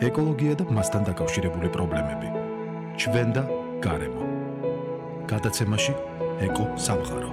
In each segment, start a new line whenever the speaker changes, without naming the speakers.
ეკოლოგია და მასთან დაკავშირებული პრობლემები. ჩვენ და გარემო. გადაცემაში ეკო სამყარო.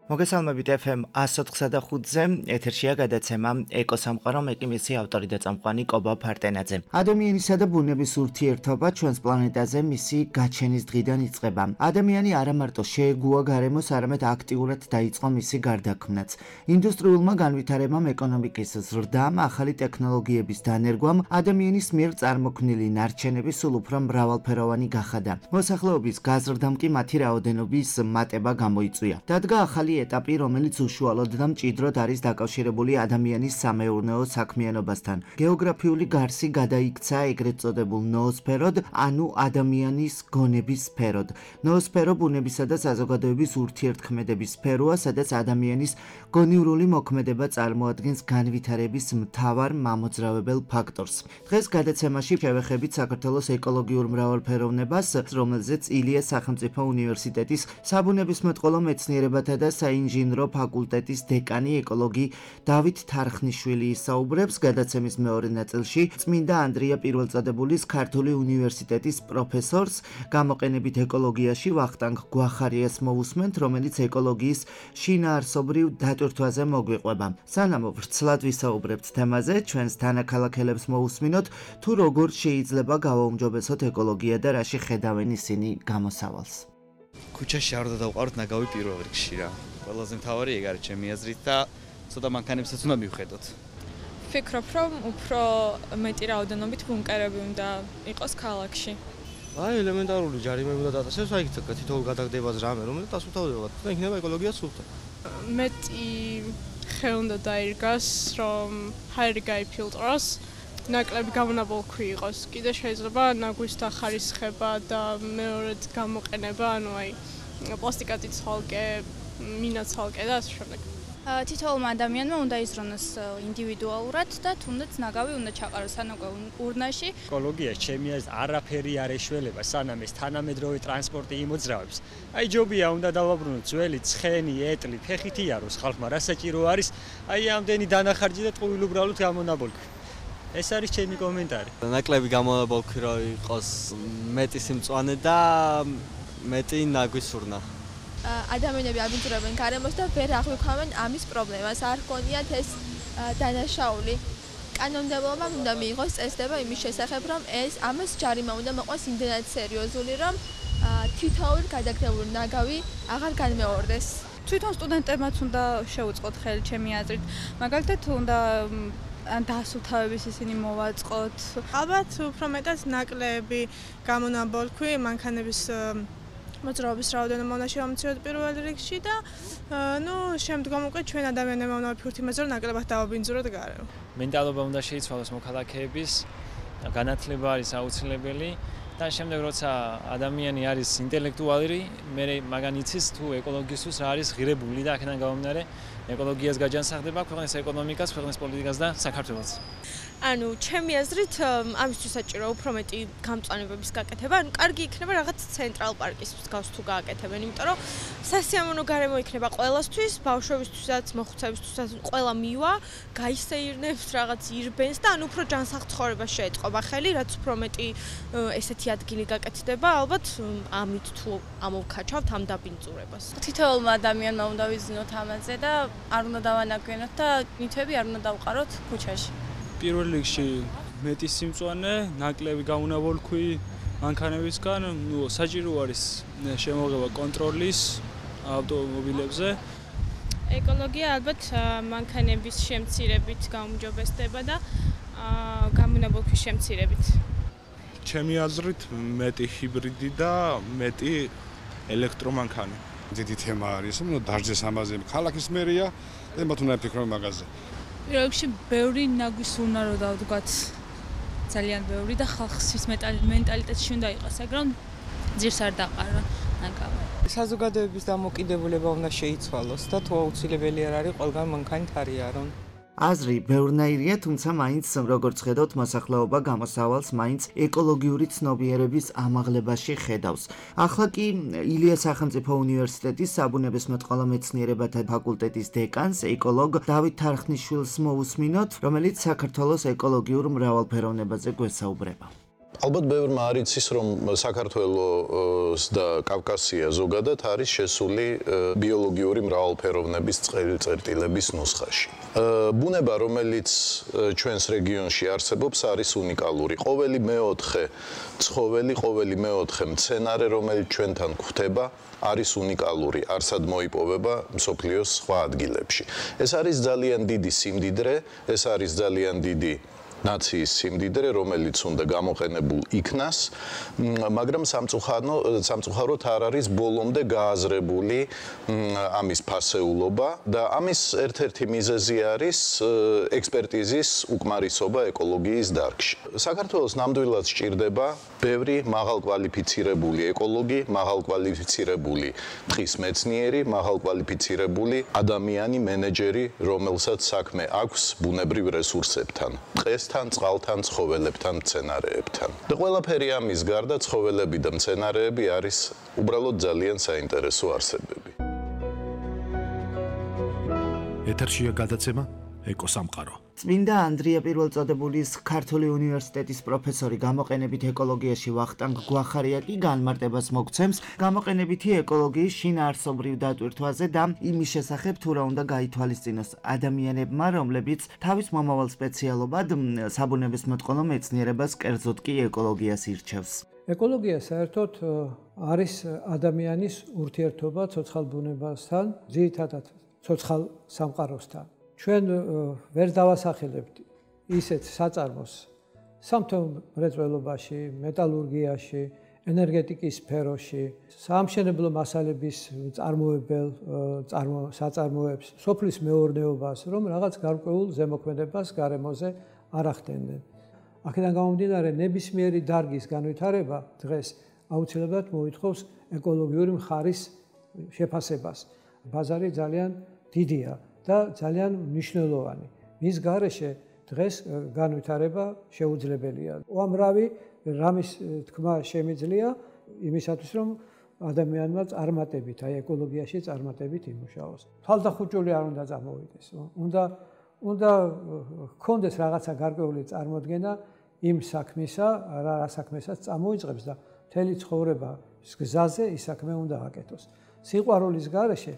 მოგესალმებით FM 104.5-ზე, ეთერშია გადაცემა ეკო სამყარო, მე კი მისი ავტორი და წამყვანი კობა ფარტენაძე. ადამიანისა და ბუნების ურთიერთობა ჩვენს პლანეტაზე მისი გაჩენის დღიდან იწყება. ადამიანი არა მარტო შეეგუა გარემოს, არამედ აქტიურად დაიწყო მისი გარდაქმნაც. ინდუსტრიულმა განვითარებამ, ეკონომიკის ზრდამ, ახალი ტექნოლოგიების დანერგვამ, ადამიანის მიერ წარმოქმნილი ნარჩენები სულ უფრო მრავალფეროვანი გახადა. მოსახლეობის გაზრდამ კი მათი რაოდენობის მატება გამოიწვია. დადგა ახალი ეტაპი, რომელიც უშუალოდ და მჭიდროდ არის დაკავშირებული ადამიანის სამეურნეო საქმიანობასთან. გეოგრაფიული გარსი გადაიქცა ეგრეთ წოდებულ ноосფეროდ, ანუ ადამიანის გონების სფეროდ. ноосფერო ბუნებისა და საზოგადოების ურთიერთქმედების სფეროა, სადაც ადამიანის გონივრული მოქმედება წარმოადგენს განვითარების მთავარ მამოძრავებელ ფაქტორს. დღეს გადაცემაში შევეხებით საქართველოს ეკოლოგიურ მრავალფეროვნებას, რომელზეც ილიას სახელმწიფო უნივერსიტეტის საბუნებისმეტყველო მეცნიერებათა და საინჟინრო ფაკულტეტის დეკანი ეკოლოგი დავით თარხნიშვილი ისაუბრებს. გადაცემის მეორე ნაწილში წმინდა ანდრია პირველწოდებულის ქართული უნივერსიტეტის პროფესორს, გამოყენებით ეკოლოგიაში ვახტანგ გვახარიას მოვუსმენთ, რომელიც ეკოლოგიის შინაარსობრივ დატვირთვაზე მოგვიყვება. სანამ ვრცლად ვისაუბრებთ თემაზე, ჩვენს თანაქალაქელებს მოვუსმინოთ, თუ როგორ შეიძლება გავაუმჯობესოთ ეკოლოგია და რაში ხედავენ ისინი გამოსავალს.
ქუჩაში არ უნდა დავყაროთ ნაგავი პირველ რიგში რა. ყველაზე მთავარი ეგ არის ჩემი აზრით და ცოტა მანქანებსაც უნდა მივხედოთ.
ვფიქრობ, რომ უფრო მეტი რაოდენობით ბუნკერები უნდა იყოს ქალაქში.
აი, ელემენტარული ჯარიმები უნდა დაწესოს, აი თითოეულ გადაგდებაზე რამე, რომელიც დასუფთავდება და იქნება ეკოლოგია სუფთა.
მეტი ხე უნდა დაირგას, რომ ჰაერი გაიფილტროს. ნაკლები გამონაბოლქვი იყოს. კიდე შეიძლება ნაგვის დახარისხება და მეორედ გამოყენება, ანუ აი პლასტიკათი ცალკე, მინა ცალკე და ასე შემდეგ.
თითოეულმა ადამიანმა უნდა იზრუნოს ინდივიდუალურად და თუნდაც ნაგავი უნდა ჩაყაროს სანაკვე ურნაში.
ეკოლოგიაში ჩემი აზრით არაფერი არ ეშველება, სანამ ეს თანამედროვე ტრანსპორტი იმოძრავებს. აი ჯობია უნდა დავაბრუნოთ ძველი ცხენი, ეტლი, ფეხით იაროს ხალხმა, რა საჭირო არის, აი ამდენი დანახარჯი და ტყუილ უბრალოდ გამონაბოლქვი. ეს არის ჩემი კომენტარი.
ნაკლები გამონაბოლქვი რა იყოს მეტი სიმწვანე და მეტი ნაგვის ურნა.
ადამიანები აბინძურებენ გარემოს და ვერ აღვიქვამენ ამის პრობლემას. არ გქონიათ ეს დანაშაული. კანონმდებლობამ უნდა მიიღოს წესდება იმის შესახებ, რომ ამას ჯარიმა უნდა მოყვას იმდენად სერიოზული, რომ თითოეულ გადაგდებულ ნაგავი აღარ განმეორდეს.
თვითონ სტუდენტებმაც უნდა შეუწყოთ ხელი ჩემი აზრით. მაგალითად უნდა დასუფთავების ისინი მოვაწყოთ.
ალბათ უფრო მეტად ნაკლები გამონაბოლქვი მანქანების მოძრაობის რაოდენობა უნდა შევამციროთ პირველ რიგში და შემდგომ უკვე ჩვენ ადამიანებმა უნდა ვფიქროთ იმაზე, რომ ნაკლებად დავაბინძუროთ გარემო.
მენტალობა უნდა შეიცვალოს მოქალაქეების, განათლება არის აუცილებელი და შემდეგ როცა ადამიანი არის ინტელექტუალი, მე მაგან იცის თუ ეკოლოგიისთვის რა არის ღირებული და აქედან გამომდინარე ეკოლოგიას გაჯანსაღდება ქვეყნის ეკონომიკას, ქვეყნის პოლიტიკას და საქართველოს.
ანუ ჩემი აზრით ამისთვის საჭირო უფრო მეტი გამწვანებების გაკეთება. ანუ კარგი იქნება რაღაც ცენტრალ პარკის მსგავს თუ გააკეთებენ, იმიტომ რომ სასიამოვნო გარემო იქნება ყველასთვის, ბავშვებისთვისაც, მოხუცებისთვისაც, ყველა მივა, გაისეირნებს, რაღაც ირბენს და ანუ უფრო ჯანსაღ ცხოვრებას შეეწყობა ხელი, რაც უფრო მეტი ესეთი ადგილი გაკეთდება, ალბათ ამით თუ ამოვქაჩავთ ამ დაბინძურებას.
თითოეულმა ადამიანმა უნდა ვიზნოთ ამაზე და არ უნდა დავანაგვენოთ და ნივთები არ უნდა დავყაროთ ქუჩაში.
პირველ რიგში მეტი სიმწვანე, ნაკლები გამონაბოლქვი მანქანებისგან, საჭირო არის შემოღება კონტროლის ავტომობილებზე.
ეკოლოგია ალბათ მანქანების შემცირებით გაუმჯობესდება და გამონაბოლქვის შემცირებით.
ჩემი აზრით მეტი ჰიბრიდი და მეტი ელექტრომანქანი.
დიდი თემა არის, დარჯეს ამაზე ქალაქის მერია და მათ უნდა იფიქრონ მაგაზე.
პირველში ბევრი ნაგვის უნდა რომ დავდგათ. ძალიან ბევრი და ხალხის მენტალიტეტში უნდა იყოს, მაგრამ ძირს არ დაყარო ნაგავი.
საზოგადოების დამოკიდებულება უნდა შეიცვალოს და თუ აუცილებელი არ არის ყველგან მანქანით არიარონ.
აზრი ბევრნაირია, თუმცა მაინც როგორც ხედავთ, მოსახლეობა გამოსავალს მაინც ეკოლოგიური ცნობიერების ამაღლებაში ხედავს. ახლა კი ილიას სახელმწიფო უნივერსიტეტის საბუნებისმეტყველო მეცნიერებათა ფაკულტეტის დეკანს, ეკოლოგ დავით თარხნიშვილს მოусმინოთ, რომელიც საქართველოს ეკოლოგიურ მრავალფეროვნებაზე გვესაუბრება.
ალბათ ბევრმა არ იცის, რომ საქართველოს და კავკასია ზოგადად არის შესული ბიოლოგიური მრავალფეროვნების წერტილების ნუსხაში. ბუნება, რომელიც ჩვენს რეგიონში არსებობს, არის უნიკალური. ყოველი მეოთხე ცხოველი, ყოველი მეოთხე მცენარე, რომელიც ჩვენთან გვხვდება, არის უნიკალური, არსად მოიპოვება მსოფლიოს სხვა ადგილებში. ეს არის ძალიან დიდი სიმდიდრე, ეს არის ძალიან დიდი ნაციის სიმდიდრე, რომელიც უნდა გამოყენებულ იქნას, მაგრამ სამწუხაროდ არ არის ბოლომდე გააზრებული ამის ფასეულობა და ამის ერთ-ერთი მიზეზი არის ექსპერტიზის უკმარისობა ეკოლოგიის დარგში. საქართველოს ნამდვილად სჭირდება ბევრი მაღალკვალიფიცირებული ეკოლოგი, მაღალკვალიფიცირებული ტყის მეცნიერი, მაღალკვალიფიცირებული ადამიანი, მენეჯერი, რომელსაც საქმე აქვს ბუნებრივ რესურსებთან. თან, წყალთან, ცხოველებთან, მცენარეებთან. და ყველაფერი ამის გარდა ცხოველები და მცენარეები არის უბრალოდ ძალიან საინტერესო არსებები.
ეთერშია გადაცემა ეკოსამყარო.
წმინდა ანდრია პირველწოდებულის ქართული უნივერსიტეტის პროფესორი გამოყენებით ეკოლოგიაში ვახტანგ გვახარია კი განმარტებას მოგცემს გამოყენებითი ეკოლოგიის შინაარსობრივ დატვირთვაზე და იმის შესახებ თუ რა უნდა გაითვალისწინოს ადამიანებმა, რომლებიც თავის მომავალ სპეციალობად საბუნებისმეტყველო მეცნიერებას, კერძოდ კი ეკოლოგიას ირჩევს.
ეკოლოგია საერთოდ არის ადამიანის ურთიერთობა ცოცხალ ბუნებასთან, ძირითადად ცოცხალ სამყაროსთან. ჩვენ ვერ დავასახელებთ ისეთ საწარმოს სამთო-მრეწველობაში, მეტალურგიაში, ენერგეტიკის სფეროში, საამშენებლო მასალების წარმოებელ საწარმოებს, სოფლის მეურნეობას, რომ რაღაც გარკვეულ ზემოქმედებას გარემოზე არ ახდენდნენ. აქედან გამომდინარე, ნებისმიერი დარგის განვითარება დღეს აუცილებლად მოითხოვს ეკოლოგიური მხარის შეფასებას. ბაზარი ძალიან დიდია და ძალიან მნიშვნელოვანი. მის გარეშე დღეს განვითარება შეუძლებელია. უამრავი რამის თქმა შემიძლია იმისათვის, რომ ადამიანმა წარმატებით, აი ეკოლოგიაში წარმატებით იმუშაოს. თვალდახუჭული არ უნდა წამოვიდეს. უნდა გქონდეს რაღაცა გარკვეული წარმოდგენა იმ საქმისა, რა საქმესაც წამოიწყებს და მთელი ცხოვრება გზაზე ის საქმე უნდა აკეთოს. სიყვარულის გარეშე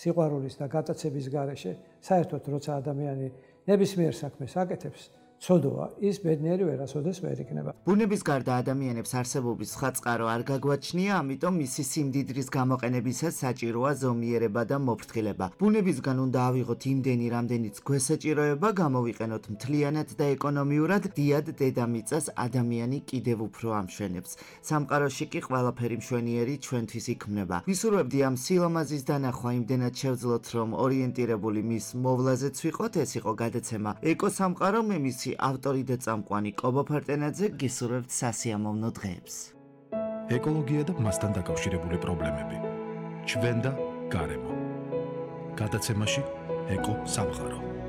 სიყვარულის და გატაცების გარეშე საერთოდ როცა ადამიანი ნებისმიერ საქმეს აკეთებს, ცოდოა, ის ბედნიერი ვერასოდეს ვერ იქნება.
ბუნების გარდა ადამიანებს არსებობის საწყარო არ გაგვაჩნია, ამიტომ მისი სიმდიდრის გამოყენებისას საჭიროა ზომიერება და მოფრთხილება. ბუნებისგან უნდა ავიღოთ იმდენი, რამდენიც გვესაჭიროება, გამოვიყენოთ მთლიანად და ეკონომიურად, დიად დედამიწას ადამიანი კიდევ უფრო ამშვენებს. სამყაროში კი ყველაფერი მშვენიერი ჩვენთვის იქმნება. ვისურვებდი ამ სილამაზის დანახვა იმდენად შევძლოთ, რომ ორიენტირებული მის მოვლაზეც ვიყოთ. ეს იყო გადაცემა ეკოსამყარო, მე მისი ავტორი და წამყვანი კობა ფარტენაძე, გისურვებთ სასიამოვნო დღეებს.
ეკოლოგია და მასთან დაკავშირებული პრობლემები. ჩვენ და გარემო. გადაცემაში ეკოსამყარო.